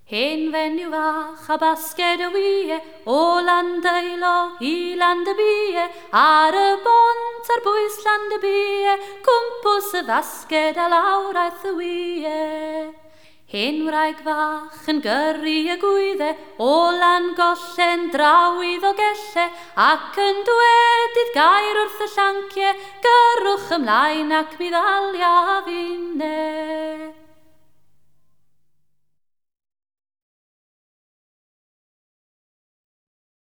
Hen fenyw fach a basged o wie, o Landeilo i Landybie, ar y bont ar bwys Landybie, cwmpws y fasged a lawr aeth y wie. Hen wraig fach yn gyrru y gwydde, o Langollen draw i Ddolgelle, ac yn dweud gair wrth y llancie, gyrrwch ymlaen ac mi ddalia finne.